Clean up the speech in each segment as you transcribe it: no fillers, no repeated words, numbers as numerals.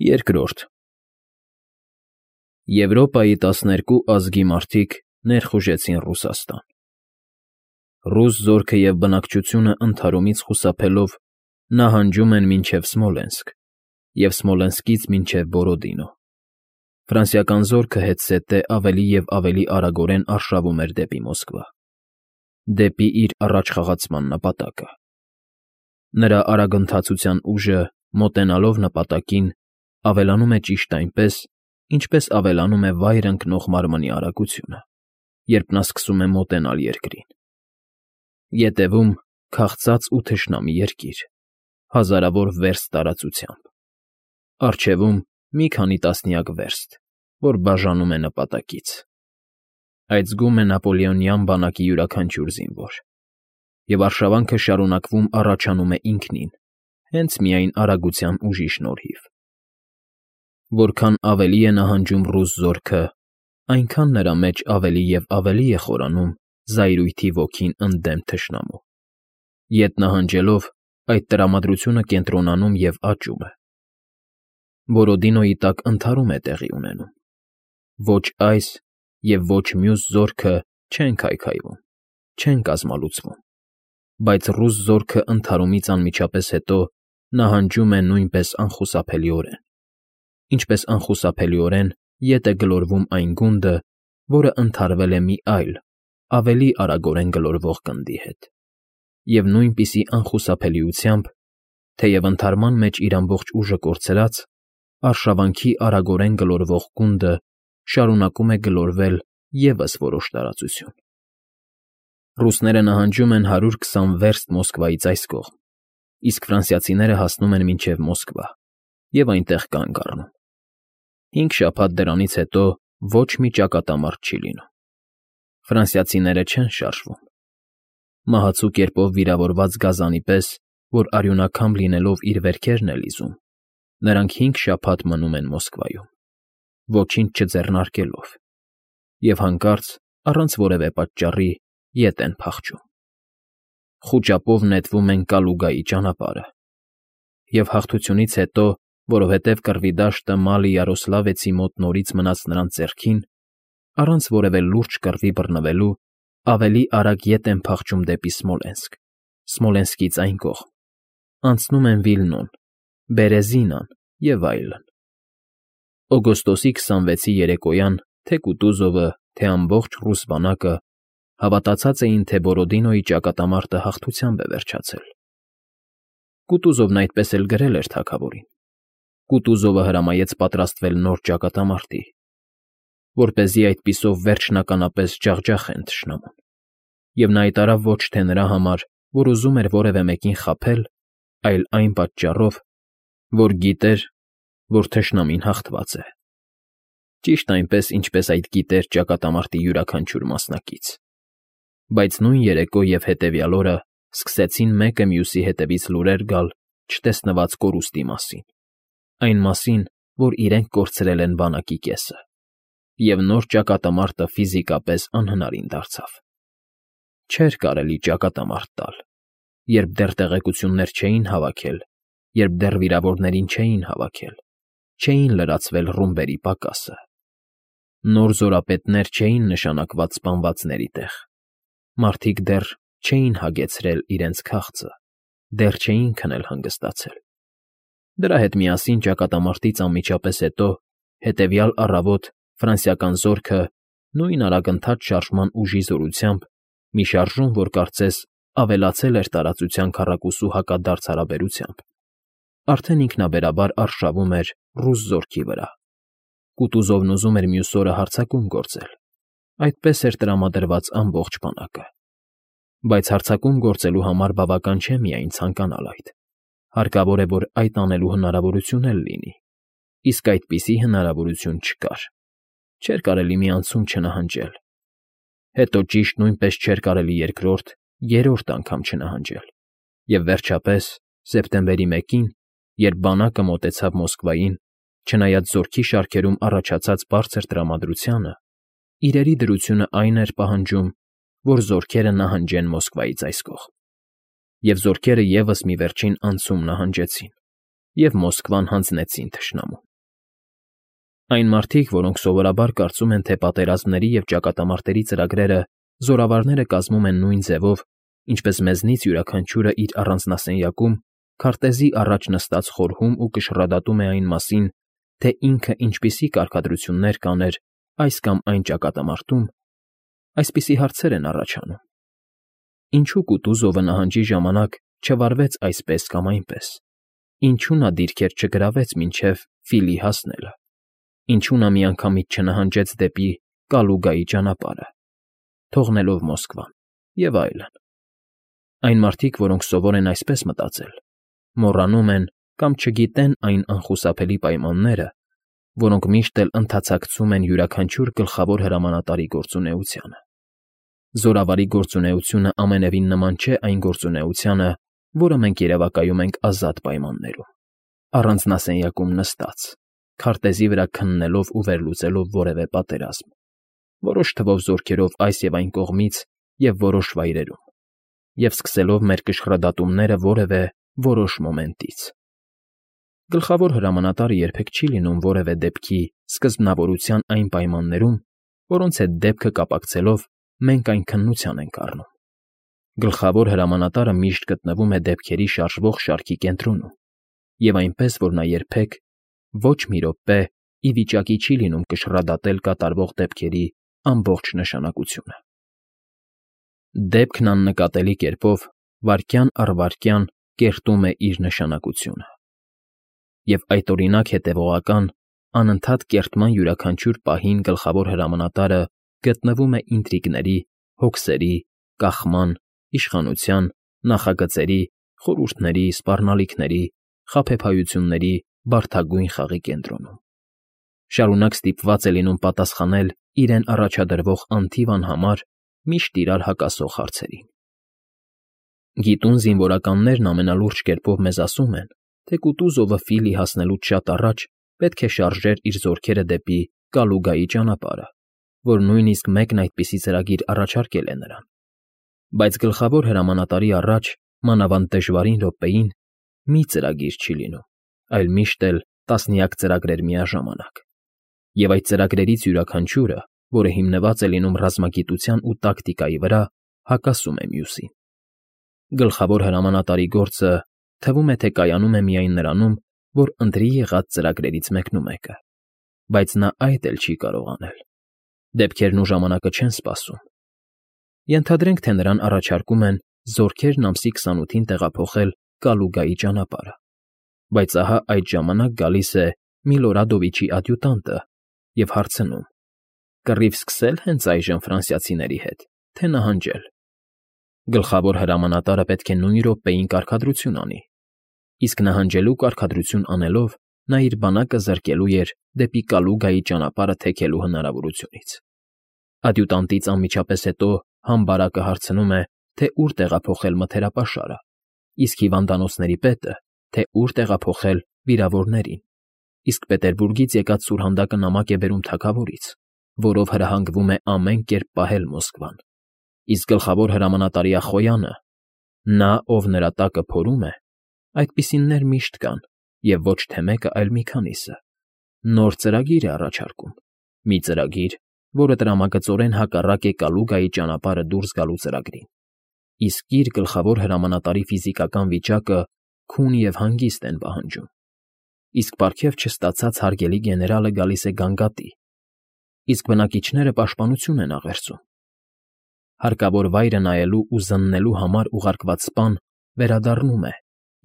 Երկրորդ Եվրոպայի 12 ազգի մարդիկ ներխուժեցին Ռուսաստան։ Ռուս զորքը և բնակչությունը ընդհարումից խուսափելով նահանջում են մինչև Սմոլենսկ և Սմոլենսկից մինչև Բորոդինո։ Ֆրանսիական զորքը հետզհետե ավելի և ավելի արագորեն արշավում էր դեպի Մոսկվա, դեպի իր առաջխաղացման նպատակը։ Նրա արագընթացության ուժը, մոտենալով նպատակին, ավելանում է ճիշտ այնպես, ինչպես ավելանում է վայր ընկնող մարմնի արագությունը, երբ նա սկսում է մոտենալ երկրին։ Ետևում քաղցած ու թշնամի երկիր, հազարավոր վերստ տարածությամբ, առջևում մի քանի տասնյակ վերստ, որ բաժանում է նպատակից։ Այդ զգում է նապոլեոնյան բանակի յուրաքանչյուր զինվոր, և արշավանքը շարունակվում առաջանում է ինքնին, հենց միայն արագության ուժի շնորհիվ։ Որքան ավելի է նահանջում ռուս զորքը, այնքան նրա մեջ ավելի և ավելի է խորանում զայրույթի ոգին ընդդեմ թշնամու։ Ետ նահանջելով, այդ տրամադրությունը կենտրոնանում և աճում է։ Բորոդինոյի տակ ընդհարում է տեղի ունենում։ Ոչ այս և ոչ մյուս զորքը չեն քայքայվում, չեն կազմալուծվում, բայց ռուս զորքը ընդհարումից անմիջապես հետո նահանջում է նույնպես անխուսափելիորեն, ինչպես անխուսափելիորեն ետ է գլորվում այն գունդը, որը ընդհարվել է մի այլ, ավելի արագորեն գլորվող գնդի հետ, և նույնպիսի անխուսափելիությամբ, թեև ընդհարման մեջ իր ամբողջ ուժը կորցրած, արշավանքի արագորեն գլորվող գունդը շարունակում է գլորվել ևս որոշ տարածություն։ Ռուսները նահանջում են 120 վերստ Մոսկվայից այս կողմ, իսկ ֆրանսիացիները հասնում են մինչև Մոսկվա և այնտեղ կանգ առնում։ 5 շաբաթ դրանից հետո ոչ մի ճակատամարտ չի լինում։ Ֆրանսիացիները չեն շարժվում։ Մահացու կերպով վիրավորված գազանի պես, որ արյունակամ լինելով իր վերքերն է լիզում, նրանք 5 շաբաթ մնում են Մոսկվայում, ոչինչ չձեռնարկելով, և հանկարծ, առանց որևէ պատճառի, ետ են փախչում։ Խուճապով նետվում են Կալուգայի ճանապարհը, և հաղթությունից հետո, որովհետև կռվի դաշտը Մալի Յարոսլավեցի մոտ նորից մնաց նրանց ձեռքին, առանց որևէ լուրջ կռվի բռնվելու, ավելի արագ ետ են փախչում դեպի Սմոլենսկ, Սմոլենսկից այն կողմ, անցնում են Վիլնոն, Բերեզինան և այլն։ Օգոստոսի 26-ի երեկոյան թե Կուտուզովը, թե ամբողջ ռուս բանակը հավատացած էին, թե Բորոդինոյի ճակատամարտը հաղթությամբ է վերջացել։ Կուտուզովն այդպես էլ գրել էր թագավորին։ Կուտուզովը հրամայեց պատրաստվել նոր ճակատամարտի, որպեսզի այդպիսով վերջնականապես ջախջախեն թշնամուն, և նա հայտարարավ ոչ թե նրա համար, որ ուզում էր որևէ մեկին խաբել, այլ այն պատճառով, որ գիտեր, որ թշնամին հաղթված է, ճիշտ այնպես, ինչպես այդ գիտեր ճակատամարտի յուրաքանչյուր մասնակից։ Բայց նույն երեկո և հետևյալ օրը սկսեցին մեկը մյուսի հետևից լուրեր գալ չտեսնված կորուստի մասին, այն մասին, որ իրենք կորցրել են բանակի կեսը, և նոր ճակատամարտը ֆիզիկապես անհնարին դարձավ։ Չէր կարելի ճակատամարտ տալ, երբ դեռ տեղեկություններ չէին հավաքել, երբ դեռ վիրավորներին չէին հավաքել, չէին լրացվել ռումբերի պակասը։ Նոր զորապետներ չէին նշանակված սպանվածների տեղ, մարդիկ դեռ չէին հագեցրել իրենց քաղցը, դեռ չէին քնել հանգստացել։ Դրա հետ միասին ճակատամարտից անմիջապես հետո, հետևյալ առավոտ ֆրանսիական զորքը նույն արագընթաց շարժման ուժի զորությամբ մի շարժում, որ կարծես ավելացել էր տարածության քառակուսու հակադարձ հարաբերությամբ, արդեն ինքնաբերաբար արշավում էր ռուս զորքի վրա։ Կուտուզովն ուզում էր մյուս օրը հարձակում գործել, այդպես էր տրամադրված ամբողջ բանակը։ Բայց հարձակում գործելու համար բավական չէ միայն ցանկանալ այդ, հարկավոր է, որ այդ անելու հնարավորություն էլ լինի, իսկ այդպիսի հնարավորություն չկար։ Չէր կարելի մի անցում չնահանջել, հետո ճիշտ նույնպես չէր կարելի երկրորդ, երրորդ անգամ չնահանջել, և վերջապես, սեպտեմբերի 1-ին, երբ բանակը մոտեցավ Մոսկվային, չնայած զորքի շարքերում առաջացած բարձր տրամադրությանը, իրերի դրությունը այն էր պահանջում, որ զորքերը նահանջեն Մոսկվայից այս կողմ։ Եվ զորքերը ևս մի վերջին անցում նահանջեցին, և Մոսկվան հանձնեցին թշնամուն։ Այն մարդիկ, որոնք սովորաբար կարծում են, թե պատերազմների և ճակատամարտերի ծրագրերը զորավարները կազմում են նույն ձևով, ինչպես մեզնից յուրաքանչյուրը իր առանձնասենյակում քարտեզի առաջ նստած խորհում ու կշռադատում է այն մասին, թե ինքը ինչպիսի կարգադրություններ կաներ այս կամ այն ճակատամարտում, այսպիսի հարցեր են առաջանում. ինչու Կուտուզովը նահանջի ժամանակ չվարվեց այսպես կամ այնպես, ինչու նա դիրքեր չգրավեց մինչև Ֆիլի հասնելը, ինչու նա միանգամից չնահանջեց դեպի Կալուգայի ճանապարհը, թողնելով Մոսկվան, և այլն. այն մարդիկ, որոնք սովոր են այսպես մտածել, մոռանում են կամ չգիտեն այն անխուսափելի պայմանները, որոնք միշտ էլ ընդարձակցում են յուրաքանչյուր գլխավոր հրամանատարի գործունեությանը։ Զորավարի գործունեությունը ամենևին նման չէ այն գործունեությանը, որը մենք երևակայում ենք ազատ պայմաններում, առանձնասենյակում նստած, քարտեզի վրա քննելով ու վերլուծելով որևէ պատերազմ, որոշ թվով զորքերով այս և այն կողմից և որոշ վայրերում, և սկսելով մեր կշռադատումները որևէ որոշ մոմենտից։ Գլխավոր հրամանատարը երբեք չի լինում որևէ դեպքի սկզբնավորության այն պայմաններում, որոնց հետ դեպքը կապակցելով մենք այն քննության ենք առնում։ Գլխավոր հրամանատարը միշտ գտնվում է դեպքերի շարժվող շարքի կենտրոնում, և այնպես, որ նա երբեք ոչ մի րոպե ի վիճակի չի լինում կշռադատել կատարվող դեպքերի ամբողջ նշանակությունը։ Դեպքն աննկատելի կերպով վայրկյան առ վայրկյան կերտում է իր նշանակությունը։ Եվ այդօրինակ հետևողական, անընդհատ կերտման յուրաքանչյուր պահին գլխավոր հրամանատարը գտնվում է ինտրիգների, հոգսերի, կախման, իշխանության, նախագծերի, խորհուրդների, սպառնալիքների, խաբեբայությունների բարդագույն խաղի կենտրոնում։ Շարունակ ստիպված է լինում պատասխանել իրեն առաջադրվող անթիվ անհամար, միշտ իրար հակասող հարցերին։ Գիտուն զինվորականներն ամենալուրջ կերպով մեզ ասում են, թե Կուտուզովը Ֆիլի հասնելուց շատ առաջ պետք է շարժեր իր զորքերը դեպի Կալուգայի ճանապարհը, որ նույնիսկ մեկն այդպիսի ծրագիր առաջարկել է նրան։ Բայց գլխավոր հրամանատարի առաջ, մանավանդ դժվարին րոպեին, մի ծրագիր չի լինում, այլ միշտ էլ տասնյակ ծրագրեր միաժամանակ։ Եվ այդ ծրագրերից յուրաքանչյուրը, որը հիմնված է լինում ռազմագիտության ու տակտիկայի վրա, հակասում է մյուսին։ Գլխավոր հրամանատարի գործը թվում է, թե կայանում է միայն նրանում, որ ընտրի եղած ծրագրերից մեկնումեկը, բայց նա այդ էլ չի կարող անել։ Դեպքերն ու ժամանակը չեն սպասում։ Ենթադրենք, թե նրան առաջարկում են զորքերն ամսի 28-ին տեղափոխել Կալուգայի ճանապարհը, բայց ահա այդ ժամանակ գալիս է Միլորադովիչի ադյուտանտը և հարցնում. կռիվ սկսե՞լ հենց այժմ ֆրանսիացիների հետ, թե նահանջել։ Գլխավոր հրամանատարը պետք է նույն րոպեին կարգադրություն անի, իսկ նահանջելու կարգադրություն անելով նա իր բանակը զրկելու էր դեպի Կալուգայի ճանապարհը թեքելու հնարավորությունից։ Ադյուտանտից անմիջապես հետո համբարակը հարցնում է, թե ուր տեղափոխել մթերապաշարը, իսկ հիվանդանոցների պետը, թե ուր տեղափոխել վիրավորներին, իսկ Պետերբուրգից եկած սուրհանդակը նամակ է բերում թագավորից, որով հրահանգվում է ամեն կերպ պահել Մոսկվան, իսկ գլխավոր հրամանատարի Ախոյանը, նա, ով նրա տակը փորում է, այդպիսիններ միշտ կան, և ոչ թե մեկը, այլ մի քանիսը, նոր ծրագիր է առաջարկում, մի ծրագիր, որը տրամագծորեն հակառակ է Կալուգայի ճանապարհը դուրս գալու ծրագրին, իսկ իր գլխավոր հրամանատարի ֆիզիկական վիճակը քուն և հանգիստ են պահանջում, իսկ պարգև չստացած հարգելի գեներալը գալիս է գանգատի, իսկ բնակիչները պաշտպանություն են աղերսում։ Հարկավոր վայրը նայելու ու զննելու համար ուղարկված սպան վերադառնում է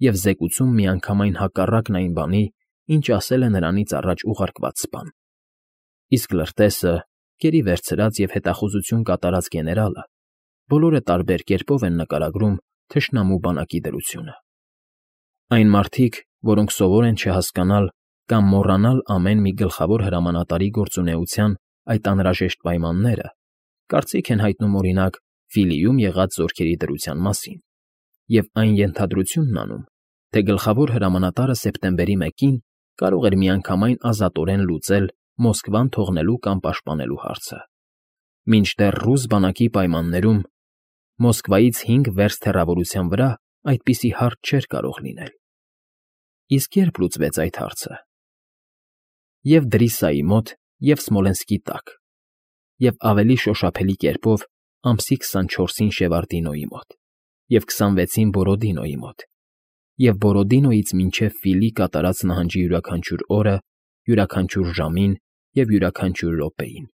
և զեկուցում միանգամայն հակառակն այն բանի, ինչ ասել է նրանից առաջ ուղարկված սպան։ Իսկ լրտեսը, գերի վերցրած և հետախուզություն կատարած գեներալը բոլորը տարբեր կերպով են նկարագրում թշնամու բանակի դրությունը։ Այն մարդիկ, որոնք սովոր են չհասկանալ կամ մոռանալ ամեն մի գլխավոր հրամանատարի գործունեության այդ անհրաժեշտ պայմանները, կարծիք են հայտնում օրինակ Ֆիլիում եղած զորքերի դրության մասին և այն ենթադրությունն անում, թե գլխավոր հրամանատարը սեպտեմբերի 1-ին կարող էր միանգամայն ազատորեն լուծել Մոսկվան թողնելու կամ պաշտպանելու հարցը, մինչդեռ ռուս բանակի պայմաններում Մոսկվայից 5 վերստ հեռավորության վրա այդպիսի հարց չէր կարող լինել։ Իսկ երբ լուծվեց այդ հարցը։ Եվ Դրիսայի մոտ, և Սմոլենսկի տակ, և ավելի շոշափելի կերպով ամսի 24-ին Շևարդինոյի մոտ, և 26-ին Բորոդինոյի մոտ, և Բորոդինոյից մինչև Ֆիլի կատարած նահանջի յուրաքանչյուր օրը, յուրաքանչյուր ժամին և յուրաքանչյուր րոպեին։